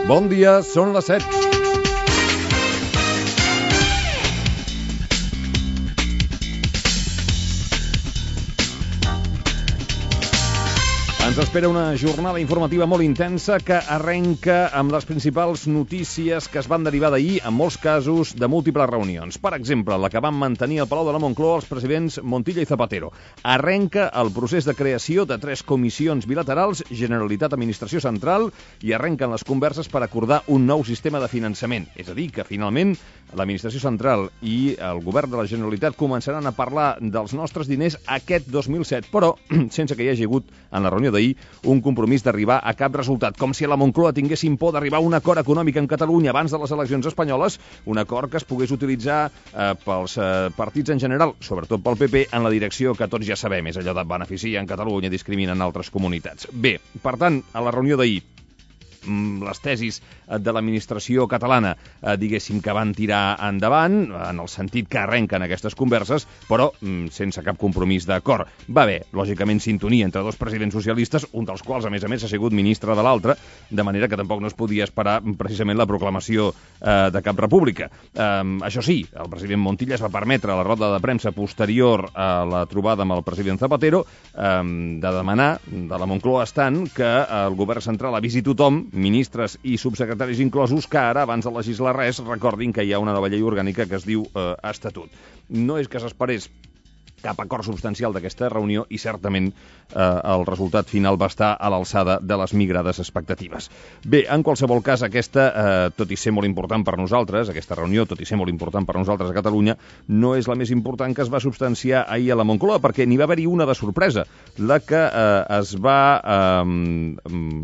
Bon dia, són les 7. Ens espera una jornada informativa molt intensa que arrenca amb les principals notícies que es van derivar d'ahir, en molts casos, de múltiples reunions. Per exemple, la que van mantenir al Palau de la Moncloa els presidents Montilla i Zapatero. Arrenca el procés de creació de 3 comissions bilaterals, Generalitat, Administració Central, i arrenquen les converses per acordar un nou sistema de finançament. És a dir, que finalment l'Administració Central i el govern de la Generalitat començaran a parlar dels nostres diners aquest 2007, però sense que hi hagi hagut en la reunió d'ahir un compromís d'arribar a cap resultat, com si a la Moncloa tinguessin por d'arribar a un acord econòmic en Catalunya abans de les eleccions espanyoles, un acord que es pogués utilitzar pels partits en general, sobretot pel PP, en la direcció que tots ja sabem, és allò de beneficiar en Catalunya, discriminen altres comunitats. Bé, per tant, a la reunió d'ahir, les tesis de l'administració catalana, diguéssim que van tirar endavant, en el sentit que arrenquen aquestes converses, però sense cap compromís d'acord. Va haver, lògicament, sintonia entre dos presidents socialistes, un dels quals, a més, ha sigut ministre de l'altre, de manera que tampoc no es podia esperar precisament la proclamació de cap república. Això sí, el president Montilla es va permetre a la roda de premsa posterior a la trobada amb el president Zapatero de demanar, de la Moncloa estant, que el govern central avisi tothom, ministres i subsecretaris inclosos, que ara, abans de legislar res, recordin que hi ha una nova llei orgànica que es diu Estatut. No és que s'esperés cap acord substancial d'aquesta reunió i certament el resultat final va estar a l'alçada de les migrades expectatives. Bé, en qualsevol cas, aquesta, tot i ser molt important per nosaltres, aquesta reunió, tot i ser molt important per nosaltres a Catalunya, no és la més important que es va substanciar ahir a la Moncloa, perquè n'hi va haver-hi una de sorpresa, la que es va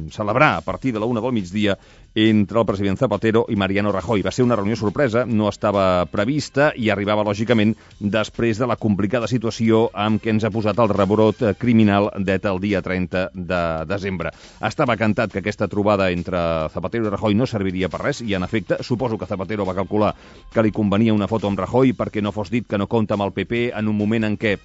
celebrar a partir de la 1 del migdia entre el president Zapatero i Mariano Rajoy. Va ser una reunió sorpresa, no estava prevista i arribava, lògicament, després de la complicada situació amb què ens ha posat el rebrot criminal d'ETA el dia 30 de desembre. Estava cantat que aquesta trobada entre Zapatero i Rajoy no serviria per res i, en efecte, suposo que Zapatero va calcular que li convenia una foto amb Rajoy perquè no fos dit que no compta amb el PP en un moment en què,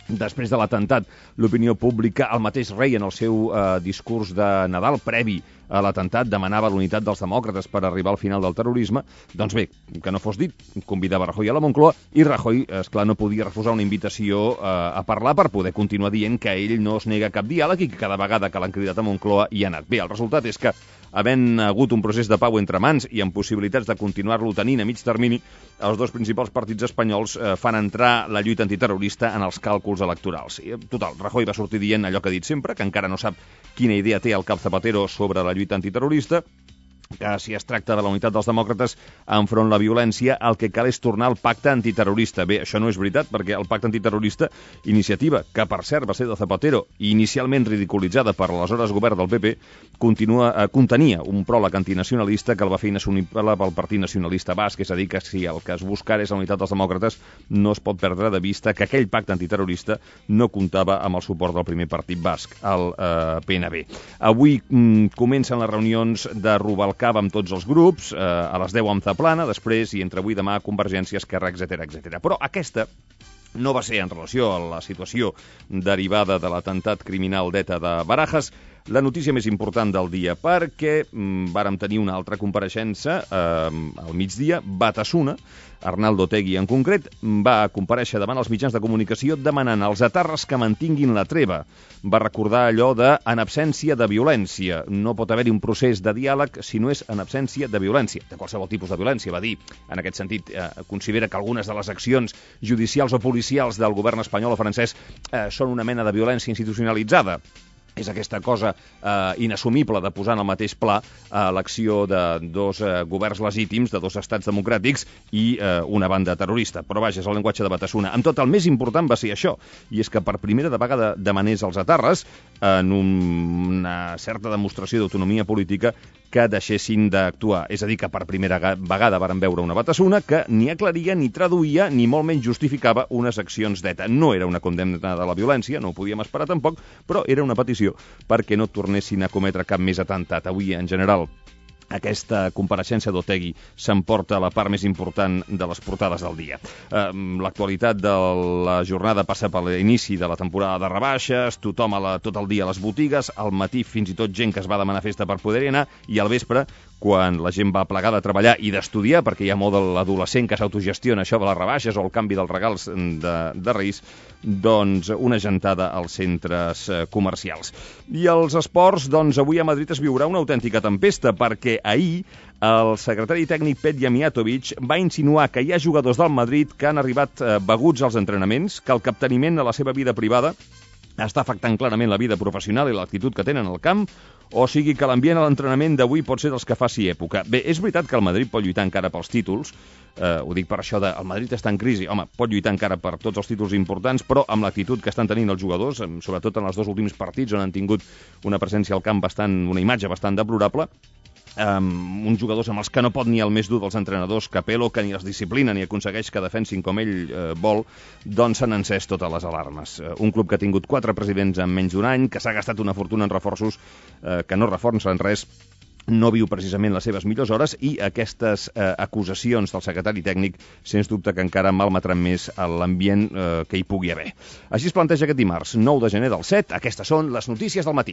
després de l'atemptat, l'opinió pública, el mateix rei en el seu discurs de Nadal previ a l'atemptat demanava l'unitat dels demòcrates per arribar al final del terrorisme. Doncs bé, que no fos dit, convidava Rajoy a la Moncloa i Rajoy, esclar, no podia refusar una invitació a parlar per poder continuar dient que ell no es nega a cap diàleg i que cada vegada que l'han cridat a Moncloa hi ha anat. Bé, el resultat és que, havent hagut un procés de pau entre mans i amb possibilitats de continuar-lo tenint a mig termini, els dos principals partits espanyols fan entrar la lluita antiterrorista en els càlculs electorals. Total, Rajoy va sortir dient allò que ha dit sempre, que encara no sap quina idea té el cap Zapatero sobre la lluita antiterrorista, que si es tracta de la unitat dels demòcrates enfront la violència, el que cal és tornar al pacte antiterrorista. Bé, això no és veritat, perquè el pacte antiterrorista, iniciativa, que per cert va ser de Zapatero, i inicialment ridiculitzada per l'aleshores govern del PP, contenia un pròleg antinacionalista que el va fer inassumible pel Partit Nacionalista Basc, és a dir, que si el que es busca és la unitat dels demòcrates, no es pot perdre de vista que aquell pacte antiterrorista no comptava amb el suport del primer partit basc, el PNB. Avui comencen les reunions de Rubalcaba amb tots els grups, a les 10 amb Zaplana, després i entre avui i demà Convergència, Esquerra, etc. Però aquesta no va ser en relació a la situació derivada de l'atemptat criminal d'ETA de Barajas la notícia més important del dia, perquè vàrem tenir una altra compareixença al migdia. Batasuna, Arnaldo Otegi en concret, va comparèixer davant els mitjans de comunicació demanant als etarres que mantinguin la treva. Va recordar allò de en absència de violència. No pot haver-hi un procés de diàleg si no és en absència de violència, de qualsevol tipus de violència, va dir. En aquest sentit, considera que algunes de les accions judicials o policials del govern espanyol o francès són una mena de violència institucionalitzada. És aquesta cosa inassumible de posar en el mateix pla l'acció de dos governs legítims, de dos estats democràtics i una banda terrorista. Però vaja, és el llenguatge de Batasuna. Amb tot, el més important va ser això, i és que per primera vegada demanés als etarres, en una certa demostració d'autonomia política, que deixessin d'actuar. És a dir, que per primera vegada varen veure una Batasuna que ni aclaria, ni traduïa, ni molt menys justificava unes accions d'ETA. No era una condemna de la violència, no ho podíem esperar tampoc, però era una petició perquè no tornessin a cometre cap més atemptat. Avui, en general, aquesta compareixença d'Otegi s'emporta la part més important de les portades del dia. L'actualitat de la jornada passa per l'inici de la temporada de rebaixes, tothom tot el dia a les botigues, al matí fins i tot gent que es va demanar festa per poder-hi anar, i al vespre quan la gent va plegada a treballar i d'estudiar, perquè hi ha molt de l'adolescent que s'autogestiona això de les rebaixes o el canvi dels regals de Reis, doncs una gentada als centres comercials. I els esports, doncs avui a Madrid es viurà una autèntica tempesta, perquè ahir el secretari tècnic Petja Mijatovic va insinuar que hi ha jugadors del Madrid que han arribat beguts als entrenaments, que el capteniment a la seva vida privada està afectant clarament la vida professional i l'actitud que tenen al camp, o sigui que l'ambient a l'entrenament d'avui pot ser dels que faci època. Bé, és veritat que el Madrid pot lluitar encara pels títols, ho dic per això de el Madrid està en crisi, home, pot lluitar encara per tots els títols importants, però amb l'actitud que estan tenint els jugadors, sobretot en els dos últims partits on han tingut una presència al camp una imatge bastant deplorable, uns jugadors amb els que no pot ni el més dur dels entrenadors, Capello, que ni els disciplina ni aconsegueix que defensin com ell vol, doncs s'han encès totes les alarmes. Un club que ha tingut 4 presidents en menys d'un any, que s'ha gastat una fortuna en reforços que no reforcen res, no viu precisament les seves millors hores, i aquestes acusacions del secretari tècnic sens dubte que encara malmetran més l'ambient que hi pugui haver. Així es planteja aquest dimarts, 9 de gener del 7. Aquestes són les notícies del matí.